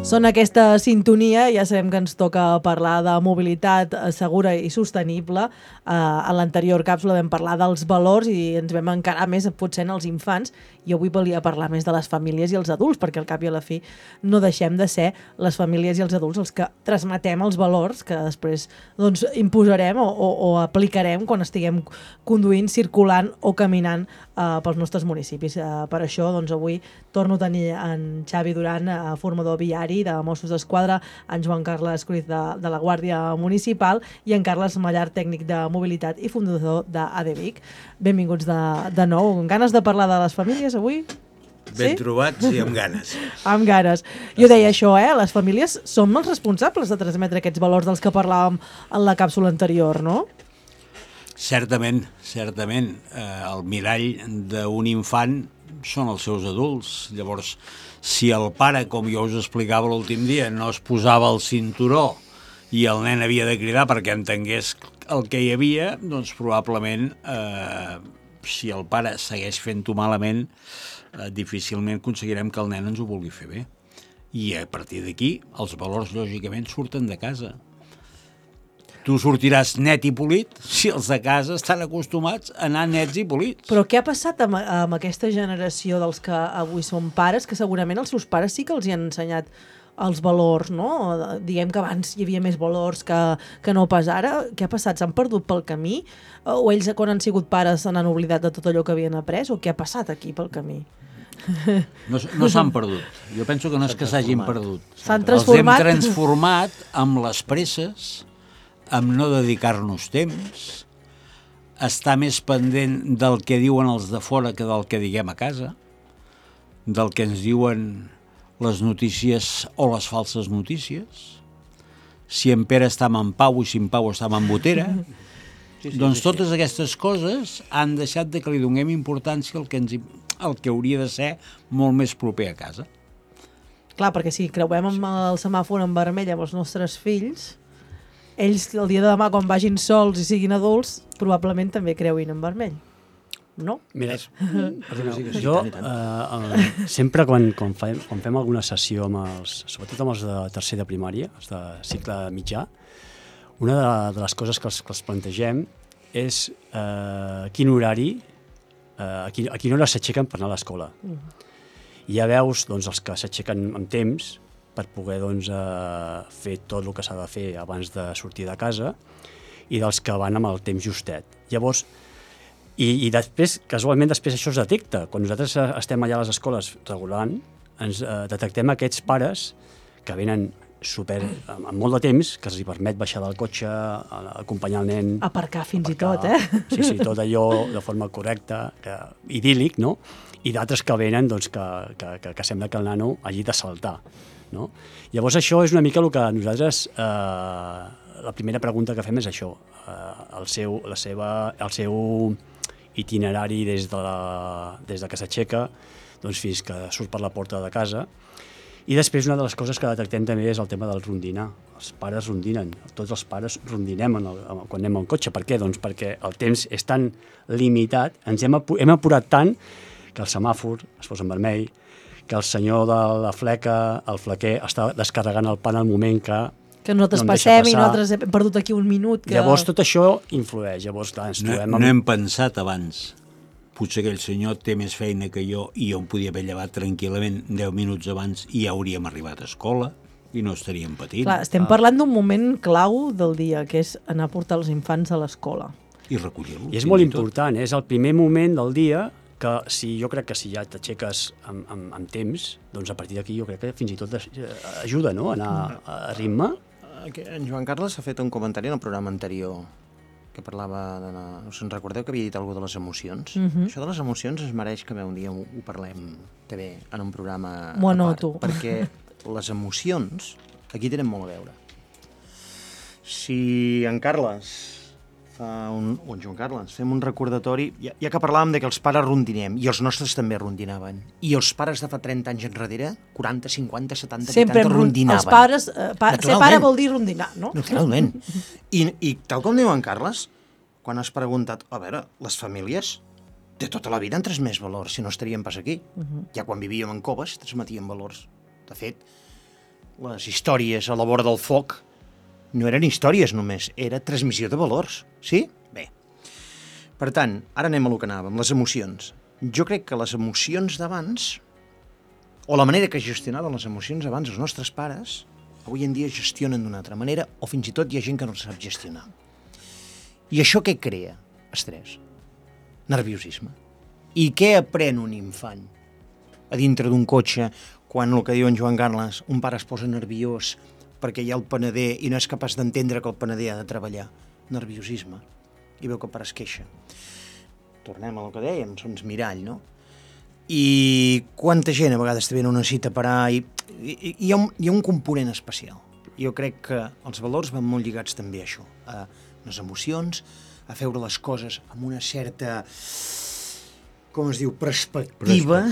Són aquesta sintonia, ja sabem que ens toca parlar de mobilitat segura i sostenible. A l'anterior càpsula vam parlar dels valors i ens vam encarar més potser en els infants, i avui volia parlar més de les famílies i els adults, perquè al cap i a la fi no deixem de ser les famílies i els adults els que transmetem els valors que després doncs, imposarem o aplicarem quan estiguem conduint, circulant o caminant pels nostres municipis. Per això doncs, avui torno a tenir en Xavi Duran, formador viari de Mossos d'Esquadra, en Joan Carles Cruz de la Guàrdia Municipal i en Carles Mallar, tècnic de mobilitat i fundador d'ADVIC. Benvinguts de nou. Amb ganes de parlar de les famílies avui? Ben trobats i amb ganes. Amb ganes. Jo deia això, les famílies som els responsables de transmetre aquests valors dels que parlàvem en la càpsula anterior, no? Certament, certament. El mirall d'un infant són els seus adults. Llavors, si el pare, com jo us explicava l'últim dia, no es posava el cinturó i el nen havia de cridar perquè entengués el que hi havia, doncs probablement, si el pare segueix fent-ho malament, difícilment aconseguirem que el nen ens ho vulgui fer bé. I a partir d'aquí, els valors, lògicament, surten de casa. Tu sortiràs net i polit si els de casa estan acostumats a anar nets i polits. Però què ha passat amb aquesta generació dels que avui són pares, que segurament els seus pares sí que els hi han ensenyat els valors, no? Diguem que abans hi havia més valors que no pas ara. Què ha passat? S'han perdut pel camí? O ells, quan han sigut pares, se n'han oblidat de tot allò que havien après? O què ha passat aquí pel camí? No s'han perdut. Jo penso que no és que s'hagin perdut. S'han transformat. Els hem transformat amb les presses, amb no dedicar-nos temps, estar més pendent del que diuen els de fora que del que diguem a casa, del que ens diuen les notícies o les falses notícies, si en Pere estava en Pau i si en Pau estava en Botera. Doncs totes aquestes coses han deixat de que li donem importància al que hauria de ser molt més proper a casa. Clar, perquè si creuem amb el semàfor en vermell amb els nostres fills, ells el dia de demà, quan vagin sols i siguin adults, probablement també creuin en vermell. No? Mira, jo sempre quan fem alguna sessió sobretot amb els de tercer de primària, els de cicle mitjà, una de les coses que els plantegem és quin horari, a quina hora s'aixequen per anar a l'escola. I ja veus doncs, els que s'aixequen amb temps per poder doncs, fer tot el que s'ha de fer abans de sortir de casa i dels que van amb el temps justet. Llavors, i després, casualment, després això es detecta. Quan nosaltres estem allà a les escoles regulant, ens detectem aquests pares que venen amb molt de temps, que els permet baixar del cotxe, acompanyar el nen... Aparcar fins i tot, Sí, tot allò de forma correcta, idíl·lic, no? I d'altres que venen doncs, que sembla que el nano hagi de saltar. No? Llavors això és una mica el que nosaltres... la primera pregunta que fem és això, el seu itinerari des de que s'aixeca doncs, fins que surt per la porta de casa. I després una de les coses que detectem també és el tema del rondinar. Els pares rondinen, tots els pares rondinem quan anem en cotxe. Per què? Doncs perquè el temps és tan limitat, ens hem apurat tant que el semàfor es posa en vermell, que el senyor de la fleca, el flequer, està descarregant el pan al moment que nosaltres passem i nosaltres hem perdut aquí un minut. Llavors tot això influeix. Llavors, clar, no hem pensat abans. Potser aquell senyor té més feina que jo i jo em podia haver llevat tranquil·lament 10 minuts abans i ja hauríem arribat a escola i no estaríem patint. Clar, estem parlant d'un moment clau del dia, que és anar a portar els infants a l'escola. I recollir-los. I és molt important, és el primer moment del dia que jo crec que si ja t'aixeques amb temps, doncs a partir d'aquí jo crec que fins i tot ajuda, no?, a anar a ritme. En Joan Carles ha fet un comentari en el programa anterior que parlava us en recordeu que havia dit alguna de les emocions? Això de les emocions es mereix que un dia ho parlem també en un programa a part, perquè les emocions aquí tenen molt a veure. Si en Carles o en Joan Carles fem un recordatori, ja que parlàvem de que els pares rondinem, i els nostres també rondinaven, i els pares de fa 30 anys enrere, 40, 50, 70, 80, rondinaven. Els pares, ser pare vol dir rondinar, no? Naturalment. I tal com diu en Carles, quan has preguntat, a veure, les famílies de tota la vida han transmès valors, si no estaríem pas aquí. Ja quan vivíem en coves transmetíem valors. De fet, les històries a la vora del foc no eren històries només, era transmissió de valors, sí? Bé. Per tant, ara anem a lo que anàvem, les emocions. Jo crec que les emocions d'abans, o la manera que gestionaven les emocions abans els nostres pares, avui en dia gestionen d'una altra manera, o fins i tot hi ha gent que no sap gestionar. I això què crea? Estrès. Nerviosisme. I què aprèn un infant? A dintre d'un cotxe, quan el que diu en Joan Carles, un pare es posa nerviós perquè hi ha el panader i no és capaç d'entendre que el panader ha de treballar. Nerviosisme. I veu que el pare es queixa. Tornem a lo que dèiem, són mirall, no? I quanta gent a vegades també no necessita parar i hi ha un component especial. Jo crec que els valors van molt lligats també a això, a les emocions, a veure les coses amb una certa, com es diu, perspectiva.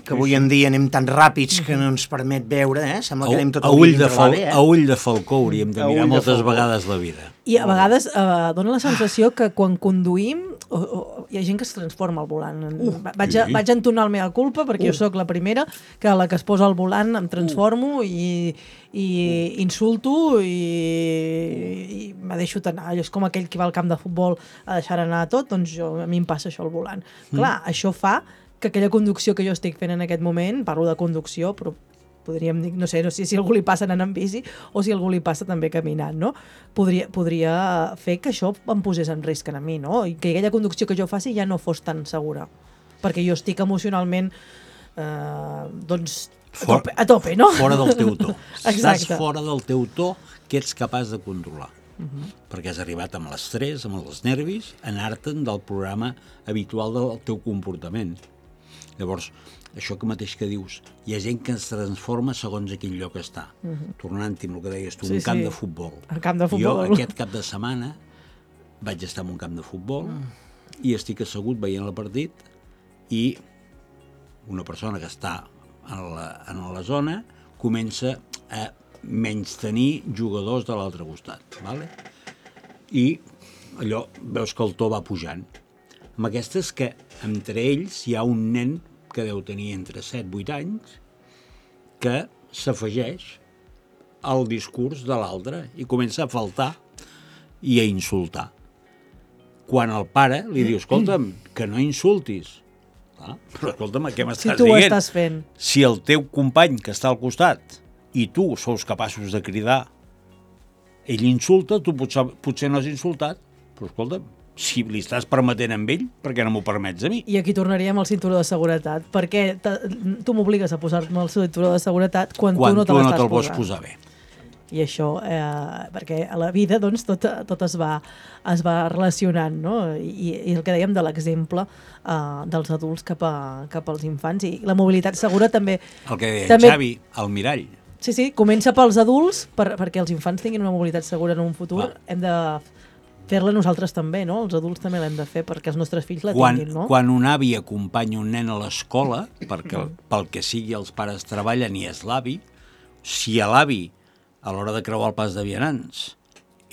Que avui en dia anem tan ràpids que no ens permet veure, sembla que anem tot el dia a ull de falcó hauríem de mirar moltes vegades la vida. I a vegades dona la sensació que quan conduïm hi ha gent que es transforma al volant. Vaig entonar el mea culpa perquè jo sóc la primera que a la que es posa al volant em transformo i insulto i me deixo anar. És com aquell que va al camp de futbol a deixar anar tot, doncs a mi em passa això al volant. Clar, això fa que aquella conducció que jo estic fent en aquest moment, parlo de conducció, però podríem dir, no sé si algú li passa anant en bici o si algú li passa també caminant, no? Podria fer que això em posés en risc a mi, no? I que aquella conducció que jo faci ja no fos tan segura. Perquè jo estic emocionalment doncs a tope, no? Fora del teu to. Exacte. Estàs fora del teu to que ets capaç de controlar. Perquè has arribat amb l'estrès, amb els nervis, a anar-te'n del programa habitual del teu comportament. Llavors, això que mateix que dius, hi ha gent que es transforma segons a quin lloc està. Tornant-hi amb el que deies tu, un camp de futbol. El camp de futbol. Jo aquest cap de setmana vaig estar en un camp de futbol i estic assegut veient el partit i una persona que està en la zona comença a menystenir jugadors de l'altre costat. Vale? I allò, veus que el to va pujant. Amb aquestes que entre ells hi ha un nen que deu tenir entre 7-8 anys que s'afegeix al discurs de l'altre i comença a faltar i a insultar. Quan el pare li diu, escolta'm, que no insultis. Però escolta'm, què m'estàs dient? Si tu ho estàs fent. Si el teu company que està al costat i tu sous capaços de cridar, ell insulta, tu potser no has insultat, però escolta'm, si li estàs permetent amb ell, per què no m'ho permets a mi? I aquí tornaríem al cinturó de seguretat. Perquè tu m'obligues a posar-me el cinturó de seguretat quan tu no te l'estàs te'l vols posar bé. I això, perquè a la vida doncs, tot es va relacionant, no? I el que dèiem de l'exemple dels adults cap als infants. I la mobilitat segura també... El que deia Xavi, el mirall. Sí, comença pels adults, perquè els infants tinguin una mobilitat segura en un futur. Hem de fer-la nosaltres també, no? Els adults també l'hem de fer perquè els nostres fills la tinguin, no? Quan un avi acompanya un nen a l'escola, perquè pel que sigui els pares treballen i és l'avi, si a l'avi, a l'hora de creuar el pas de vianants,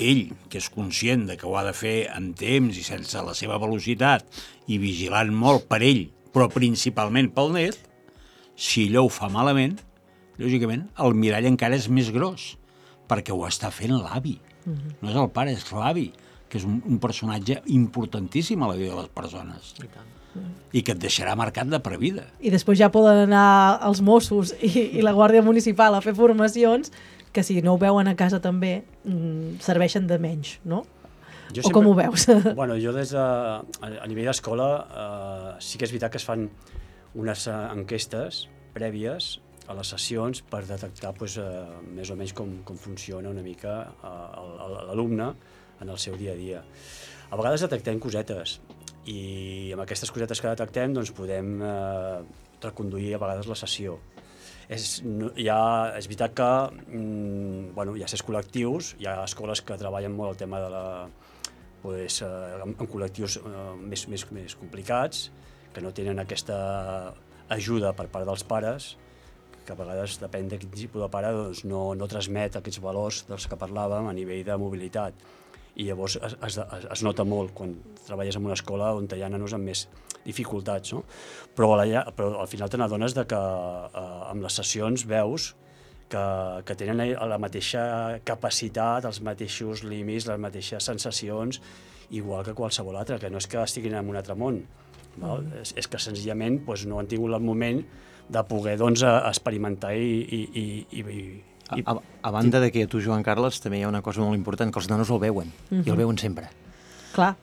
ell, que és conscient de que ho ha de fer en temps i sense la seva velocitat i vigilant molt per ell, però principalment pel net, si allò ho fa malament, lògicament, el mirall encara és més gros, perquè ho està fent l'avi. No és el pare, és l'avi, que és un personatge importantíssim a la vida de les persones. I que et deixarà marcat de per vida. I després ja poden anar els Mossos i la Guàrdia Municipal a fer formacions que si no ho veuen a casa també serveixen de menys, no? Com ho veus? Bueno, jo a nivell d'escola sí que és veritat que es fan unes enquestes prèvies a les sessions per detectar més o menys com funciona una mica l'alumne en el seu dia a dia. A vegades detectem cosetes i amb aquestes cosetes que detectem doncs podem reconduir a vegades la sessió. És veritat que hi ha certs col·lectius, hi ha escoles que treballen molt el tema en col·lectius més complicats, que no tenen aquesta ajuda per part dels pares, que a vegades, depèn de quin tipus de pare, doncs no transmet aquests valors dels que parlàvem a nivell de mobilitat. I llavors es nota molt quan treballes en una escola on hi ha nanos amb més dificultats, no? Però al final te n'adones que amb les sessions veus que tenen la mateixa capacitat, els mateixos límits, les mateixes sensacions, igual que qualsevol altre, que no és que estiguin en un altre món. Val? És que senzillament no han tingut el moment de poder experimentar A banda de que a tu, Joan Carles, també hi ha una cosa molt important, que els nanos el veuen, i el veuen sempre. Clar,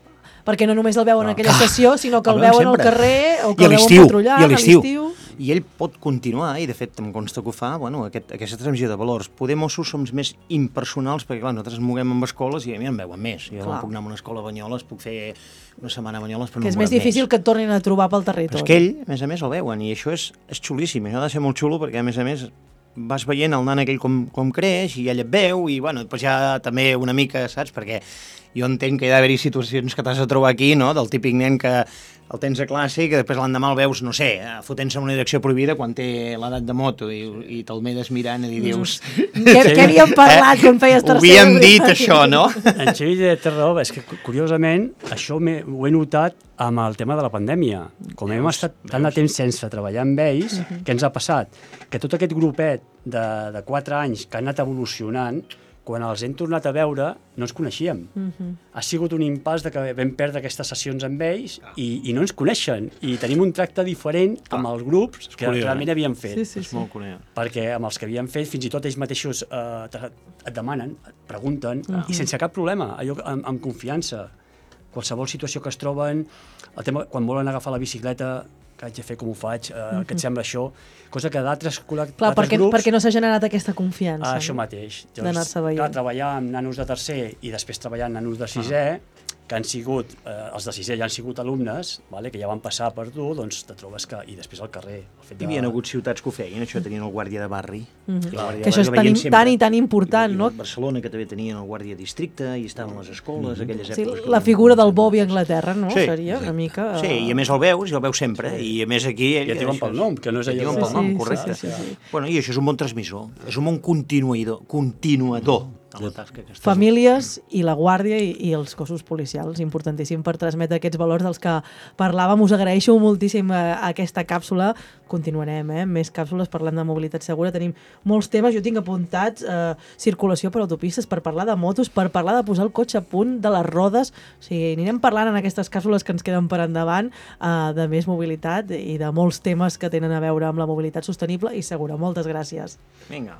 perquè no només el veuen en aquella estació, sinó que el veuen al carrer, o que el veuen patrullant a l'estiu. I ell pot continuar, i de fet em consta que ho fa, aquesta transmissió de valors. Poder Mossos som més impersonals, perquè clar, nosaltres ens moguem amb escoles i a mi em veuen més. Jo puc anar a una escola a Banyoles, puc fer una setmana a Banyoles, però no em veuen més. Que és més difícil que et tornin a trobar pel territori. Però és que ell, a més, el veuen, i això és xulíssim. Això ha de ser molt xulo, perquè a més, vas veient el nan aquell com creix, i ell et veu, i després ja també una mica, saps? Perquè jo entenc que hi ha d'haver-hi situacions que t'has de trobar aquí, no?, del típic nen que el tens a classe i que després l'endemà el veus, no sé, fotent-se en una direcció prohibida quan té l'edat de moto i te'l medes mirant i dius... Què havíem parlat quan feies tercer? Ho havíem dit, això, no? En Xavi té raó, és que curiosament això ho he notat amb el tema de la pandèmia. Com hem estat tant de temps sense treballar amb ells, què ens ha passat? Que tot aquest grupet de 4 anys que han anat evolucionant, quan els hem tornat a veure, no ens coneixíem. Ha sigut un impàs de que vam perdre aquestes sessions amb ells i no ens coneixen. I tenim un tracte diferent amb els grups que realment havíem fet. És molt curiós. Perquè amb els que havíem fet, fins i tot ells mateixos et demanen, et pregunten, i sense cap problema, allò amb confiança. Qualsevol situació que es troben, el tema, quan volen agafar la bicicleta, que haig de fer, com ho faig, què et sembla això, cosa que d'altres grups... Clar, perquè no s'ha generat aquesta confiança. Això mateix. D'anar-se veient. Clar, treballar amb nanos de tercer i després treballar amb nanos de sisè, que han sigut, els de sisè ja han sigut alumnes, que ja van passar per tu, doncs te trobes que... I després al carrer. Hi havia hagut ciutats que ho feien, això tenien el guàrdia de barri. Que això és tan i tan important, no? Barcelona, que també tenien el guàrdia districte, i estaven les escoles, aquelles èpoques... La figura del Bobby a Anglaterra, no? Seria una mica... Sí, i a més el veus, i el veus sempre, i a més aquí... I et diuen pel nom, que no és allò... Et diuen pel nom, correcte. Bueno, i això és un bon transmissor, és un bon continuador. Famílies i la Guàrdia i els cossos policials, importantíssim per transmetre aquests valors dels que parlàvem. Us agraeixo moltíssim aquesta càpsula. Continuarem, més càpsules parlant de mobilitat segura. Tenim molts temes, jo tinc apuntats circulació per autopistes, per parlar de motos, per parlar de posar el cotxe a punt, de les rodes. O sigui, anirem parlant en aquestes càpsules que ens queden per endavant de més mobilitat i de molts temes que tenen a veure amb la mobilitat sostenible i segura. Moltes gràcies. Vinga.